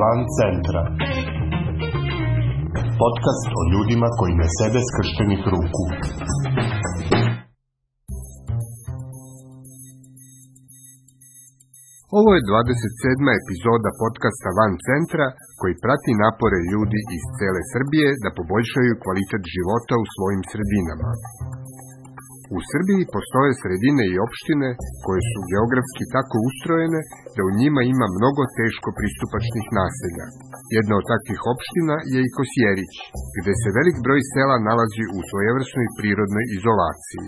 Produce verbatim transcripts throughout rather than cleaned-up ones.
Van centra. Podcast o ljudima koji ne sede skrštenih ruku. Ovo je dvadeset sedma epizoda podcasta Van centra koji prati napore ljudi iz cele Srbije da poboljšaju kvalitet života u svojim sredinama. U Srbiji postoje sredine i opštine koje su geografski tako ustrojene da u njima ima mnogo teško pristupačnih naselja. Jedna od takvih opština je i Kosjerić, gde se velik broj sela nalazi u svojevrsnoj prirodnoj izolaciji.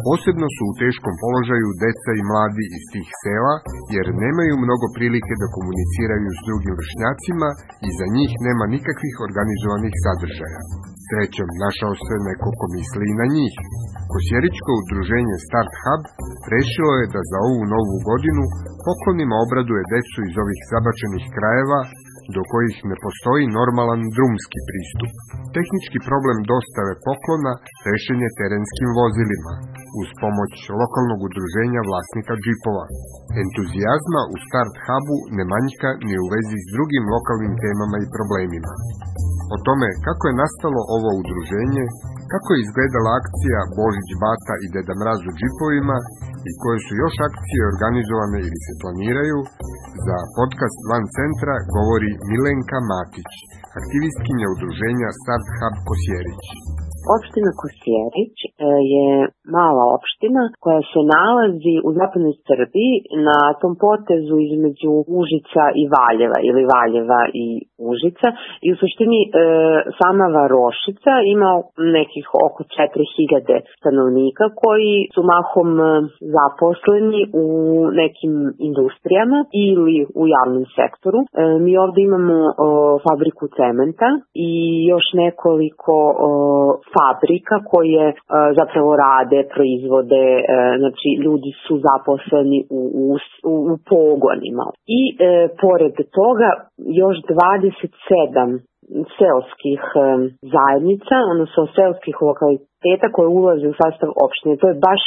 Posebno su u teškom položaju deca i mladi iz tih sela, jer nemaju mnogo prilike da komuniciraju s drugim vršnjacima i za njih nema nikakvih organizovanih sadržaja. Srećom, našao se neko ko misli i na njih. Kosjeričko udruženje Start Hub rešilo je da za ovu novu godinu poklonima obraduje decu iz ovih zabačenih krajeva, do kojih ne postoji normalan drumski pristup. Tehnički problem dostave poklona rešen je terenskim vozilima, uz pomoć lokalnog udruženja vlasnika džipova. Entuzijazma u Start Hubu ne manjka ni u vezi s drugim lokalnim temama i problemima. O tome kako je nastalo ovo udruženje, kako je izgledala akcija Božić Bata i Deda Mraz u džipovima i koje su još akcije organizovane ili se planiraju, za podcast Van centra govori Milenka Matić, aktivistkinja udruženja Start Hub Kosjerić. Opština Kosjerić je mala opština koja se nalazi u zapadnoj Srbiji na tom potezu između Užica i Valjeva ili Valjeva i Užica i u suštini e, sama Varošica ima nekih oko četiri hiljade stanovnika koji su mahom zaposleni u nekim industrijama ili u javnom sektoru. E, mi ovdje imamo o, fabriku cementa i još nekoliko o, fabrika koje e, zapravo rade, proizvode, e, znači ljudi su zaposleni u, u, u pogonima. I e, pored toga još dvadeset sedam seoskih e, zajednica, odnosno seoskih lokaliteta koje ulaze u sastav opštine. To je baš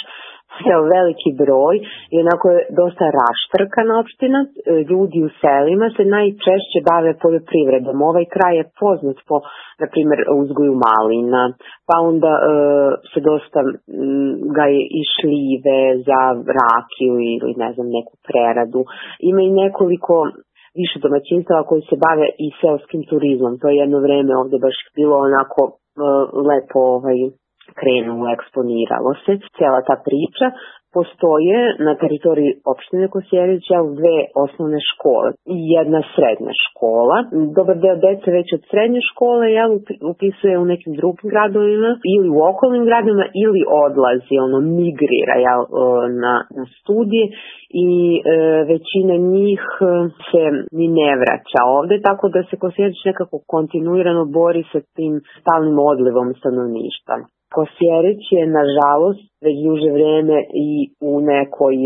evo, veliki broj i onako je dosta raštrkana opština. Ljudi u selima se najčešće bave poljoprivredom. Ovaj kraj je poznat po, na primjer, uzgoju malina, pa onda e, se dosta m, gaje i šljive za rakiju ili ne znam neku preradu. Ima i nekoliko više domaćinstava koji se bave i seoskim turizmom. To je jedno vreme ovdje baš bilo onako e, lepo ovaj krenulo, eksponiralo se cijela ta priča. Postoje na teritoriji opštine Kosjerića dve osnovne škole i jedna srednja škola. Dobar deo dece već od srednje škole jel, upisuje u nekim drugim gradovima ili u okolnim gradovima ili odlazi, ono migrira jel, na, na studije i e, većina njih se ni ne vraća ovde, tako da se Kosjerić nekako kontinuirano bori sa tim stalnim odlivom stanovništva. Kosjerić je, nažalost, već duže vreme i u nekoj,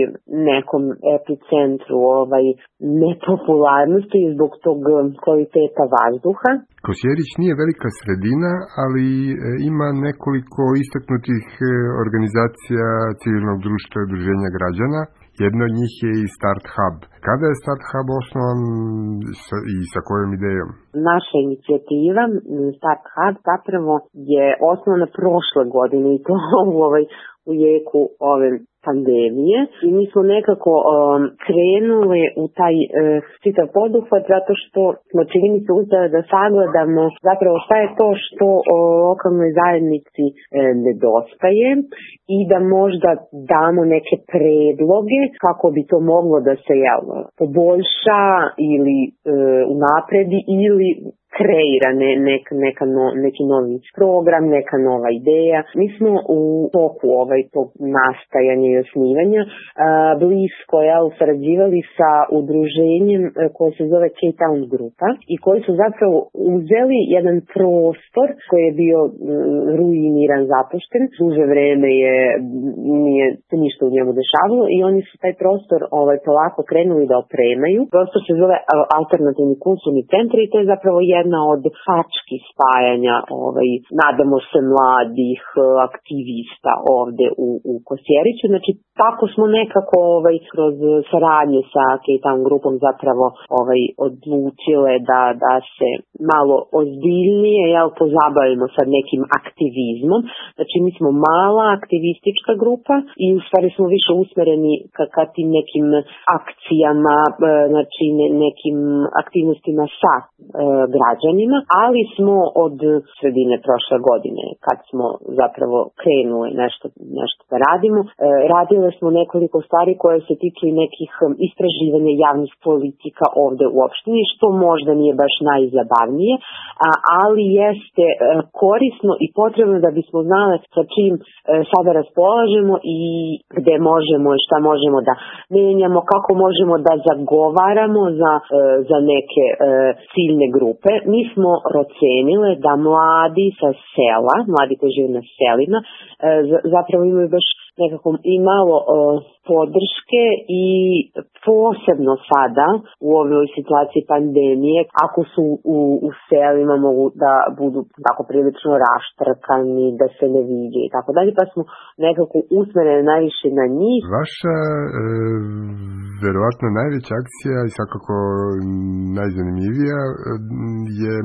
nekom epicentru ovaj, nepopularnosti zbog tog kvaliteta vazduha. Kosjerić nije velika sredina, ali ima nekoliko istaknutih organizacija civilnog društva i udruženja građana. Jedno od njih je i Start Hub. Kada je Start Hub osnovan i sa kojom idejom? Naša inicijativa Start Hub zapravo je osnovana prošle godine i to u, ovaj, u jeku ove pandemije. I mi smo nekako um, krenuli u taj uh, čitav poduhvat zato što smo čini mi se uspjeli da sagledamo zapravo šta je to što o lokalnoj zajednici e, nedostaje i da možda damo neke predloge kako bi to moglo da se jel, poboljša ili e, unapredi ili kreira ne, nek, neka no, neki novi program, neka nova ideja. Mi smo u toku ovaj, tog nastajanja i osnivanja a, blisko jel, sarađivali sa udruženjem a, koje se zove K-Town grupa i koji su zapravo uzeli jedan prostor koji je bio m, ruiniran, zapušten. Duže vreme je nije se ništa u njemu dešavalo i oni su taj prostor ovaj, polako krenuli da opremaju. Prostor se zove alternativni kulturni centar i to je zapravo jedna od tački spajanja, ovaj, nadamo se, mladih aktivista ovde u, u Kosjeriću. Znači, tako smo nekako ovaj, kroz saradnje sa Cape grupom zapravo ovaj, odlučile da, da se malo ozbiljnije jel, pozabavimo sa nekim aktivizmom. Znači, mi smo mala aktivistička grupa i u stvari smo više usmereni ka, ka tim nekim akcijama, znači ne, nekim aktivnostima sa e, građanima, ali smo od sredine prošle godine, kad smo zapravo krenuli nešto, nešto da radimo, e, radile smo nekoliko stvari koje se tiču i nekih istraživanja javnih politika ovde u opštini, što možda nije baš najzabavnije, a, ali jeste e, korisno i potrebno da bismo znali sa čim e, sada raspolažemo i gde možemo i šta možemo da menjamo, kako možemo da zagovaramo za, e, za neke e, ciljne grupe. Mi smo procenile da mladi sa sela, mladi koji žive na selima, e, zapravo imaju baš nekako i malo e, podrške i posebno sada u ovoj situaciji pandemije, ako su u, u selima mogu da budu tako prilično raštrkani, da se ne vide i tako dalje, pa smo nekako usmereni najviše na njih. Vaša e, verovatno najveća akcija i svakako najzanimljivija je e,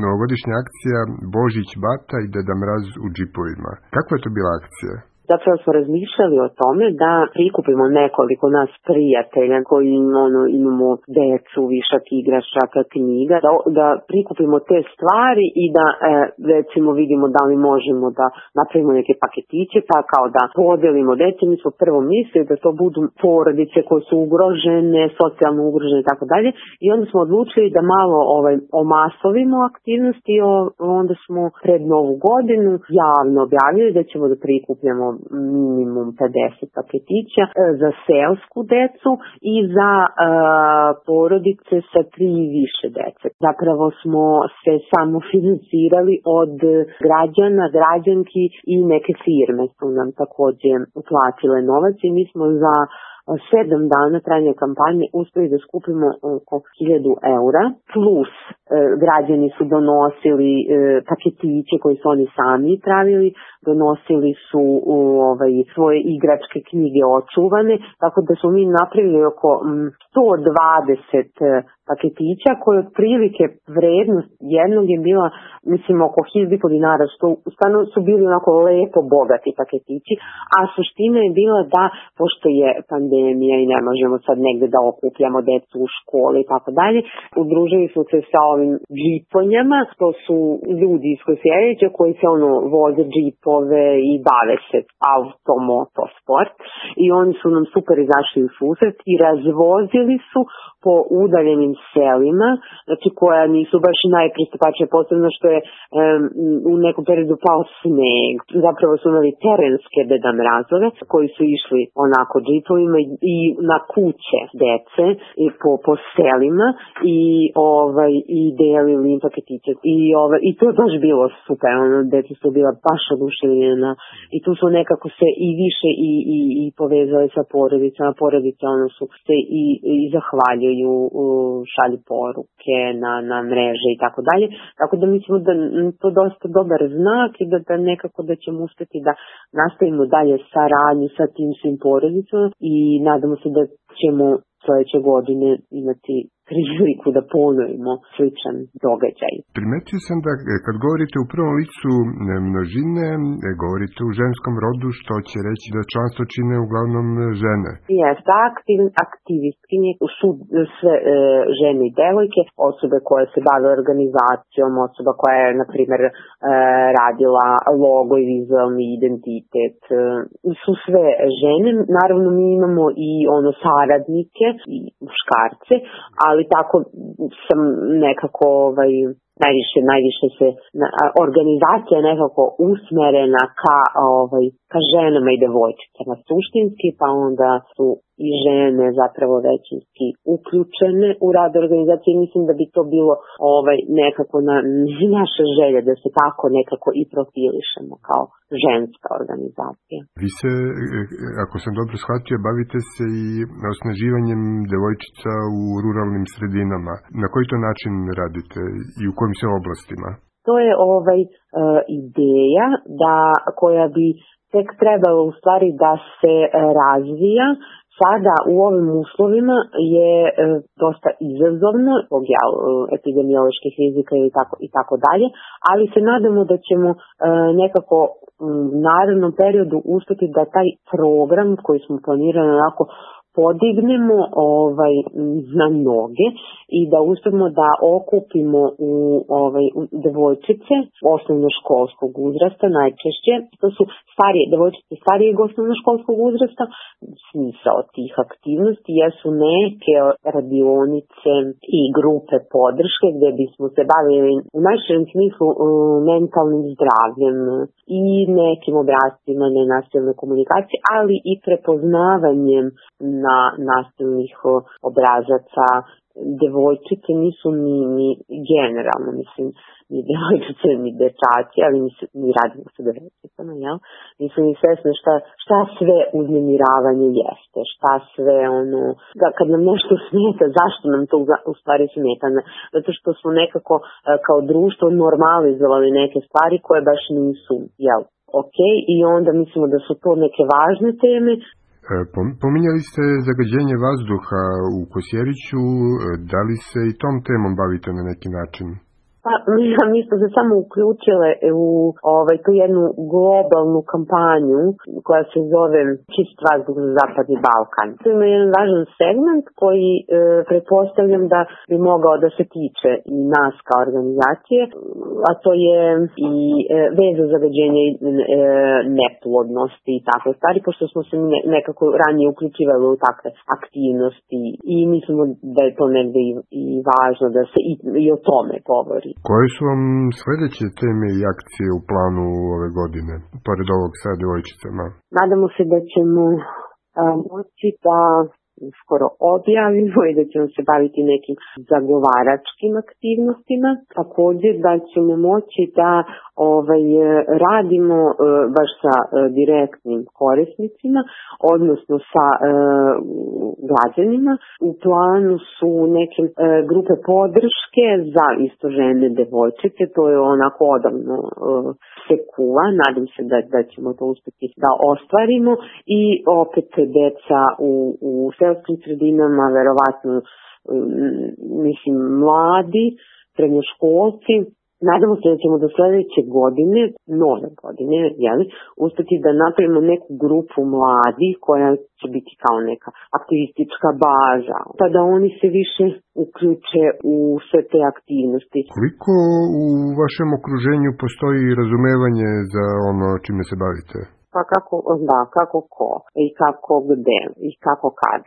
novogodišnja akcija Božić Bata i Deda Mraz u džipovima. Kakva je to bila akcija? Zapravo smo razmišljali o tome da prikupimo nekoliko nas prijatelja koji ono, imamo decu, višak igračaka, knjiga, da, da prikupimo te stvari i da e, recimo vidimo da li možemo da napravimo neke paketiće, pa kao da podelimo deci. Mi smo prvo mislili da to budu porodice koje su ugrožene, socijalno ugrožene i tako dalje. I onda smo odlučili da malo ovaj, omasovimo aktivnosti i onda smo pred Novu godinu javno objavili da ćemo da prikupljamo minimum pedeset paketića za seosku decu i za uh, porodice sa tri i više dece. Zapravo smo se samo financirali od građana, građanki i neke firme su nam takođe uplatile novac i mi smo za sedam dana trajanja kampanje uspeli da skupimo oko hiljadu eura, plus e, građani su donosili e, paketiće koji su oni sami pravili, donosili su u, ovaj, svoje igračke knjige očuvane, tako da smo mi napravili oko m, sto dvadeset paketića koje otprilike vrednost jednog je bila, mislim, oko hiljadu dinara, što stvarno su bili onako lepo bogati paketići, a suština je bila da, pošto je pandemija i ne možemo sad negde da okupljamo decu u školi i tako dalje, udružili smo se sa ovim džiponjama, to su ljudi iz Kosjerića koji se ono voze džipove i bave se automoto sport i oni su nam super izašli u susret i razvozili su po udaljenim selima, znači koja nisu baš najpristupačnije, posebno što je um, u nekom periodu pao sneg. Zapravo su imali terenske Deda Mrazove koji su išli onako džipovima i, i na kuće dece i po, po selima i ovaj i delili im paketiće. I, ovaj, i to je baš bilo super, ono, deca su bila baš oduševljena i tu su nekako se i više i, i, i povezali sa porodicama, porodice ono su se i, i zahvaljuju, šalju poruke na, na mreže i tako dalje. Tako da mislimo da to dosta dobar znak i da, da nekako da ćemo uspeti da nastavimo dalje saradnju sa tim svim porodicama i nadamo se da ćemo sledeće godine imati priliku da ponovimo sličan događaj. Primetio sam da kad govorite u prvom licu množine, govorite u ženskom rodu, što će reći da članstvo čine uglavnom žene. Jeste, aktiv, aktivistkinje su sve e, žene i devojke, osobe koje se bave organizacijom, osoba koja je, na primjer, e, radila logo i vizualni identitet, e, su sve žene. Naravno, mi imamo i ono saradnike i muškarce, ali ali tako sam nekako ovaj, najviše, najviše se na, organizacija nekako usmerena ka, ovaj, ka ženama i devojčicama suštinski, pa onda su i žene zapravo većinski uključene u rad organizacije. Mislim da bi to bilo ovaj, nekako na, naša želja da se tako nekako i profilišemo kao ženska organizacija. Vi se, ako sam dobro shvatio, bavite se i osnaživanjem devojčica u ruralnim sredinama. Na koji to način radite i u kojim se oblastima? To je ovaj uh, ideja da koja bi tek trebalo u stvari da se uh, razvija. Sada u ovim uslovima je uh, dosta izazovno zbog uh, epidemioloških rizika i tako i tako dalje, ali se nadamo da ćemo uh, nekako u narednom periodu uspjeti da taj program koji smo planirali onako podignemo ovaj na noge i da uspemo da okupimo u ovaj u devojčice osnovnoškolskog uzrasta najčešće. To su starije devojčice starijeg osnovnoškolskog uzrasta. Smisao tih aktivnosti jesu neke radionice i grupe podrške gdje bismo se bavili u najširem smislu mentalnim zdravljem i nekim obrascima nenasilne komunikacije, ali i prepoznavanjem na nasilnih obrazaca. Devojčice nisu ni, ni generalno, mislim, ni devojčice, ni dečaci, ali mi, mi radimo sa devojčicama, jel? Nisu ni svesne šta, šta sve uznemiravanje jeste, šta sve ono, da kad nam nešto smeta, zašto nam to u stvari smeta? Zato što smo nekako kao društvo normalizovali neke stvari koje baš nisu, jel? Ok, i onda mislimo da su to neke važne teme. Pominjali ste zagađenje vazduha u Kosjeriću, da li se i tom temom bavite na neki način? Pa, mi smo se samo uključile u ovaj, tu jednu globalnu kampanju koja se zove Čist vazduh za Zapadni Balkan. To je jedan važan segment koji e, pretpostavljam da bi mogao da se tiče i nas kao organizacije, a to je i e, veza zagađenja i e, neplodnosti i takve stvari, pošto smo se ne, nekako ranije uključivali u takve aktivnosti i mislimo da je to negdje i, i važno da se i, i o tome govori. Koje su vam sljedeće teme i akcije u planu ove godine, pored ovog sa devojčicama? Nadamo se da ćemo a, moći da skoro objavimo i da ćemo se baviti nekim zagovaračkim aktivnostima. Također da ćemo moći da ovaj, radimo e, baš sa e, direktnim korisnicima, odnosno sa e, građanima. U planu su neke e, grupe podrške za isto žene devojčice, to je onako odavno e, se kuva, nadam se da, da ćemo to uspjeti da ostvarimo i opet deca u, u selskim sredinama, verovatno mislim mladi, srednjoškolci. Nadamo se da ćemo do sljedeće godine, nove godine, jeli, uspjeti da napravimo neku grupu mladi koja će biti kao neka aktivistička baza, pa da oni se više uključe u sve te aktivnosti. Koliko u vašem okruženju postoji razumevanje za ono čime se bavite? Pa kako, da, kako ko i kako gde i kako kad.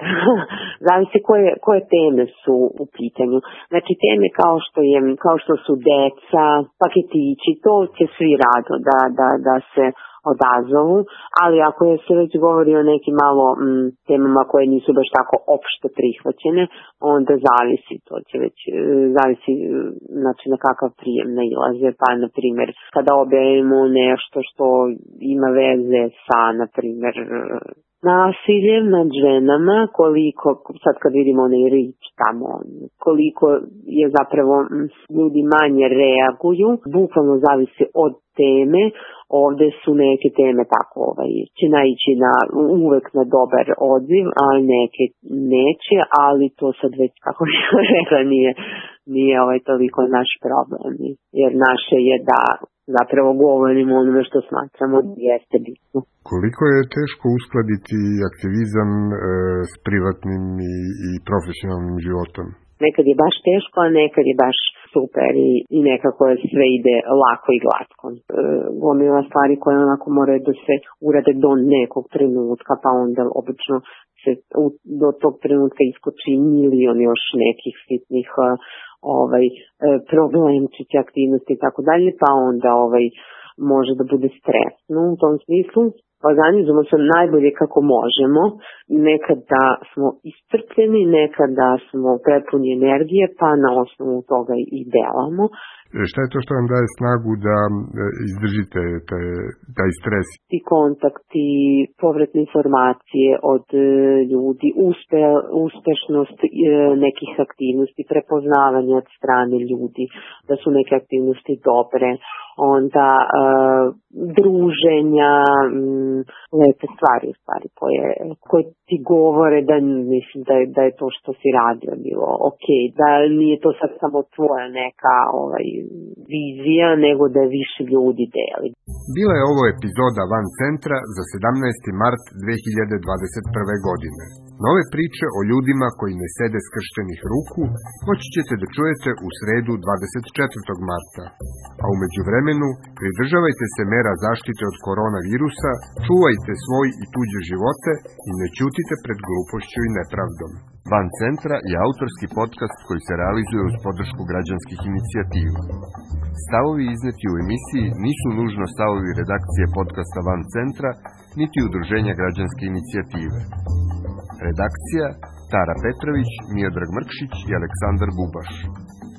Zavisi koje, koje teme su u pitanju. Znači teme kao što je, kao što su deca, paketići, to će svi rado da, da, da se odazovu, ali ako je se već govori o nekim malo m, temama koje nisu baš tako opšte prihvaćene, onda zavisi, to će već, zavisi znači na kakav prijem nailaze, pa na primjer kada objavimo nešto što ima veze sa, na primjer, nasiljem nad ženama, koliko, sad kad vidimo onaj rič tamo, koliko je zapravo ljudi manje reaguju, bukvalno zavisi od teme. Ovdje su neke teme tako, ovaj, će naići na, uvek na dobar odziv, a neke neće, ali to sad već, kako bih rekla, nije, nije ovaj toliko naš problem, jer naše je da zapravo govorimo onome što smatramo da jeste bitno. Koliko je teško uskladiti aktivizam e, s privatnim i, i profesionalnim životom? Nekad je baš teško, a nekad je baš super i, i nekako sve ide lako i glatko. E, gomila stvari koje onako moraju da se urade do nekog trenutka, pa onda obično se u, do tog trenutka iskoči milion još nekih sitnih ovaj, problemčića, aktivnosti i tako dalje, pa onda ovaj, može da bude stresno u tom smislu. organizujemo se najbolje kako možemo. Nekada smo iscrpljeni, nekada smo prepuni energije, pa na osnovu toga i delamo. Šta je to što vam daje snagu da izdržite taj, taj stres? Ti kontakti, povratne informacije od ljudi, uspe, uspešnost nekih aktivnosti, prepoznavanje od strane ljudi, da su neke aktivnosti dobre, onda uh, druženja, um, lepe stvari u stvari koje, koje ti govore da mislim da je, da je to što si radio bilo ok, da nije to sad samo tvoja neka ovaj, vizija, nego da je više ljudi deli. Bila je ovo epizoda Van Centra za sedamnaesti mart dve hiljade dvadeset prve. godine. Nove priče o ljudima koji ne sede skrštenih ruku moći ćete da čujete u sredu dvadeset četvrtog marta. A u međuvremenu pridržavajte se mera zaštite od koronavirusa, čuvajte svoj i tuđe živote i ne ćutite pred glupošću i nepravdom. Van Centra je autorski podcast koji se realizuje uz podršku građanskih inicijativa. Stavovi izneti u emisiji nisu nužno stavovi redakcije podcasta Van Centra, niti udruženja građanske inicijative. Redakcija Tara Petrović, Miodrag Mrkšić i Aleksandar Bubaš.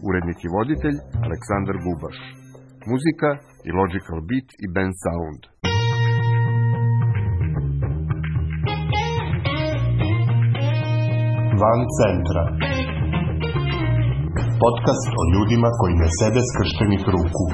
Urednik i voditelj Aleksandar Bubaš. Muzika i Logical Beat i Band Sound. Van Centra. Podcast o ljudima koji ne sede skrštenih ruku.